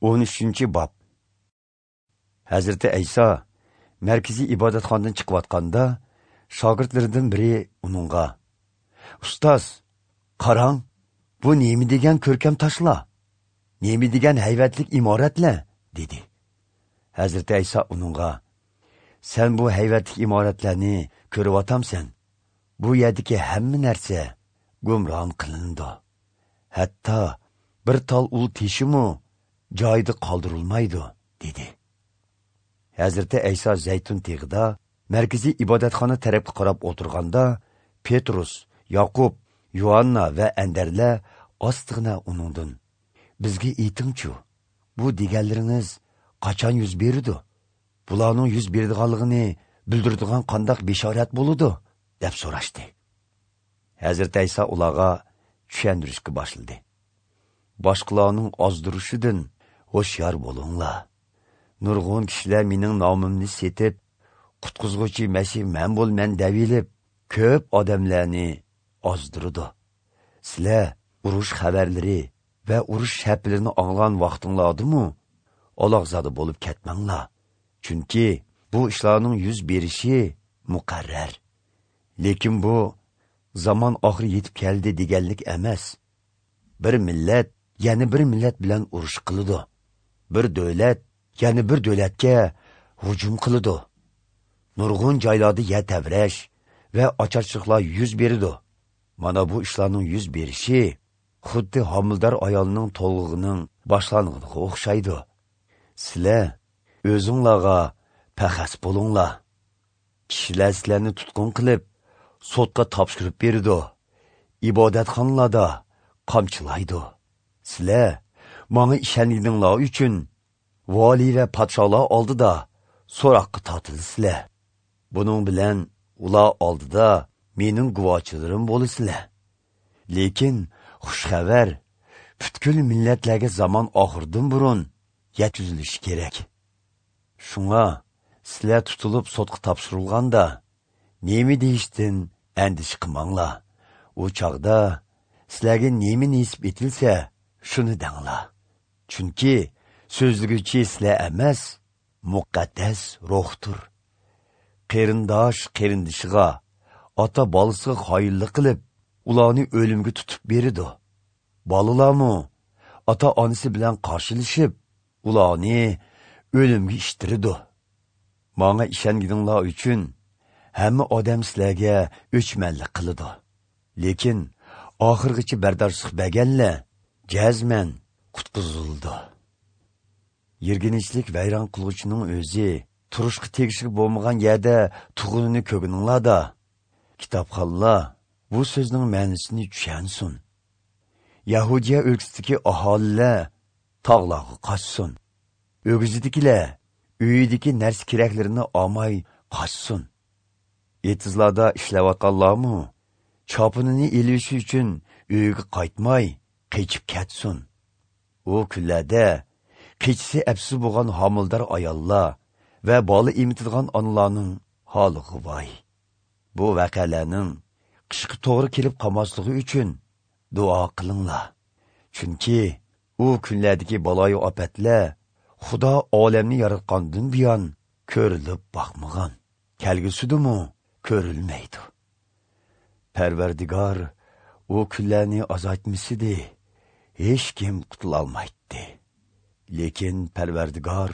13-bob. Hazrati Ayso markaziy ibodatxonadan chiqayotganda shogirdlaridan biri uningga: "Ustoz, qarang, bu nima degan ko'rkam toshlar, nima degan haybatli imoratlar?" dedi. Hazrati Ayso uningga: "Sen bu haybatli imoratlarni ko'ryotamsan. Bu yerdagi hamma narsa gumron qilindi. Hatto bir tol ul teshimi joyida qoldirilmaydi" dedi. Hazrati Ayso Zaytun teg'ida markaziy ibodatxona tarafga qarab o'tirganda Petrus, Yaqub, Yuanna va Andarlar ostig'ina uningdan: "Bizga aytingchu, bu deganlaringiz qachon yuz beradi? Bularning yuz beradiganligini bildiradigan qanday bishorat bo'ladi?" deb so'rashdi. Hazrati Ayso ularga tushuntirishga boshladi. "Boshqalarning ozdirishidan hushyor bo'linglar. Nurg'un kishilar mening nomimni setib, qutqizg'uchi Masih men bo'lman devilib, ko'p odamlarni ozdirdi. Sizlar urush xabarlari va urush shaplarini anglagan vaqtinglardimi aloqzada bo'lib ketmanglar. Chunki bu ishlarning yuz berishi muqarrar. Lekin bu zamon oxiri yetib keldi deganlik emas. Bir millat yana bir millat bilan urush qiladi. Bir davlat yana bir davlatga hujum qiladi. Nurg'un joylarda yer tavrash va ocharchiliklar yuz beradi. Mana bu ishlarning yuz berishi xuddi homildor ayolning to'lg'ig'ining boshlang'iga o'xshaydi. Sizlar o'zinglarga paxas bo'linglar. Kishilar sizlarni tutqun qilib, sotga topshirib beradi. Ibodatxonalarda qamchilaydi. Sizlar menga ishonganinglar uchun vali va podsholar oldida so'roqqa tortilasizlar. Buning bilan ular oldida mening guvochilarim bo'lasizlar. Lekin xush xabar butkul millatlarga zamon oxiridan burun yetkazilishi kerak. Shunga sizlar tutilib sotga topshirilganda nima deyishdan andisha qilmanglar. U chog'da sizlarga nima nisib etilsa, shuni danglar. Chunki so'zliguchi sizlar emas, muqaddas ruhdir. Qarindosh qarindishiga, ota bolasiga xoinlik qilib, ularni o'limga tutib beradi. Bolalarmi ota onasi bilan qarshilashib, ularni o'limga ishtiradi. Manga ishonganinglar uchun hamma odam sizlarga o'chmanlik qiladi. Lekin oxirgacha bardoshlik berganlar jazman qutqizildi. Yerginchlik vayron qilg'uchining o'zi turishga tegishli bo'lmagan yerda tug'inini ko'gininglarda. Kitobxonlar bu so'zning ma'nosini tushunsin. Yahudiya o'lkasidagi aholilar tog'larga qochsin. O'gizidagilar uyidagi narsa keraklarini olmay qochsin. Etizlarda ishlayotganlarmi chopinini elishi uchun uyiga qaytmay qochib ketsin. U kunlarda qechisi apsiz bo'lgan homildor ayollar va bola emitadigan onalarning holiga voy. Bu voqealarning qishga to'g'ri kelib qolmasligi uchun duo qilinglar. Chunki u kunlardagi baloyi ofatlar Xudo olamni yaratgandan buyon ko'rilib boqmagan, kelgusidimi ko'rilmaydi. Parvardigor u kunlarni azaytmasidi, hech kim qutulolmaydi. Lekin Parvardigor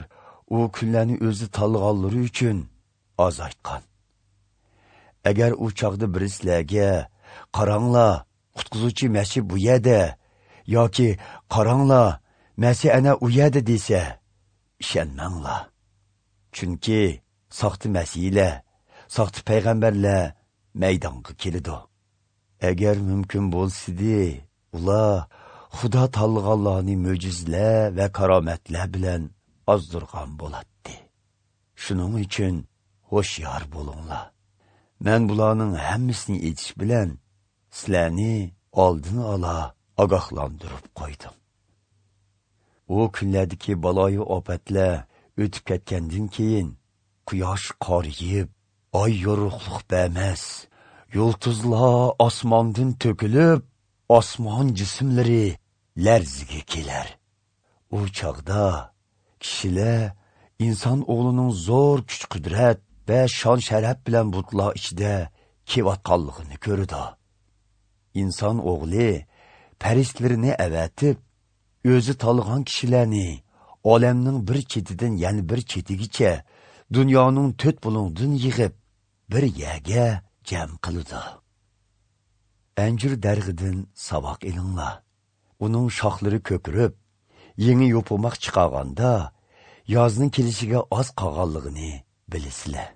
u kunlarni o'zi tanlaganlari uchun azaytgan. Agar u chog'da biri sizlarga: "Qaranglar, qutqizuvchi Masih bu yerda" yoki "Qaranglar, Masih ana u yerda" desa, ishonmanglar. Chunki soxta masihlar, soxta payg'ambarlar maydonga keladi. Agar mumkin bo'lsa-di, ular Xudo tanlaganlarni mo'jizalar va karomatlar bilan ozdirgan bo'ladi. Shuning uchun hushyor bo'linglar. Men bularning hammasini aytish bilan sizlarni oldin ola ogohlantirib qo'ydim. U kunlardagi baloyi ofatlar o'tib ketgandan keyin quyosh qoriyib, oy yorug'liq bermas, yulduzlar osmondan to'kilib, osmon jismlari larziga kelar. U chog'da kishilar inson o'g'lining zo'r kuch-qudrat va shon-sharaf bilan bulutlar ichida kelayotganligini ko'rdi. Inson o'g'li farishtalarini avatib, o'zi tanlagan kishilarni olamning bir chetidan yana bir chetigacha dunyoning to'rt bulung'idan yig'ib, bir yerga jam qiladi. Anjur darg'idan saboq ilinglar. Uning shoxlari ko'kirib, yangi yo'pirmoq chiqarganda yozning kelishiga oz qolganligini bilasizlar.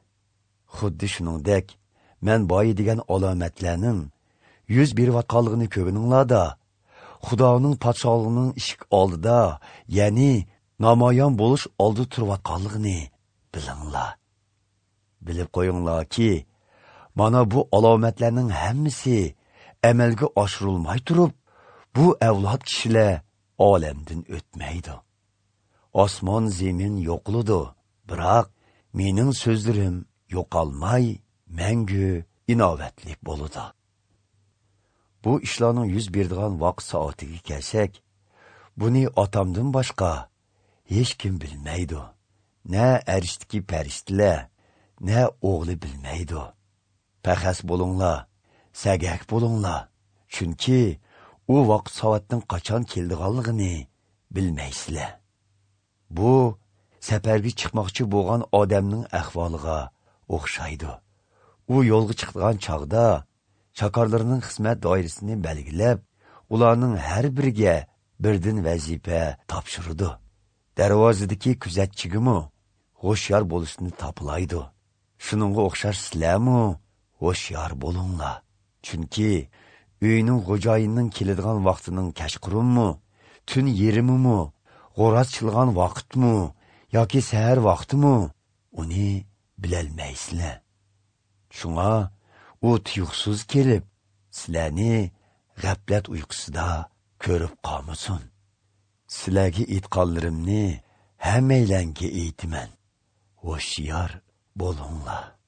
Xuddi shuningdek, men boyi degan alomatlarning yuz berayotganligini ko'ringlarda, Xudoning podshohligining eshik oldida, ya'ni namoyon bo'lish oldida turayotganligini bilinglar. Bilib qo'yinglarki, mana bu alomatlarning hammasi amalga oshirilmay turib, bu avlod kishilar olamdan o'tmaydi. Osmon zemin yo'qoladi, biroq mening so'zlarim yo'qolmay, mangu inovatli bo'ladi. Bu ishlarning yuz beradigan vaqt soatiga kelsak, buni otamdan boshqa hech kim bilmaydi. Na arishdagi farishtalar, na o'g'li bilmaydi. Paxas bo'linglar, sagak bo'linglar, chunki u vaqt soatning qachon keldiganligini bilmaysizlar. Bu safarga chiqmoqchi bo'lgan odamning ahvoliga o'xshaydi. U yo'lga chiqgan chog'da chakorlarining xizmat doirasini belgilab, ularning har biriga birdan vazifa topshirdi. Darvozadagi kuzatchigimi hushyor bo'lishni topilaydi. Shuningga o'xshash sizlarmi hushyor bo'linglar. Chunki uyning xo'jayinining keladigan vaqtining kechqurunmi, tun yerimimi, g'o'roz chilgan vaqtmi yoki sahar vaqtimi, uni bilolmaysizlar. Shunga u tuyuqsiz kelib, sizlarni g'aflat uyqusida ko'rib qolmasin. Sizlarga aytganlarimni hammalarga aytaman. Hushyor bo'linglar.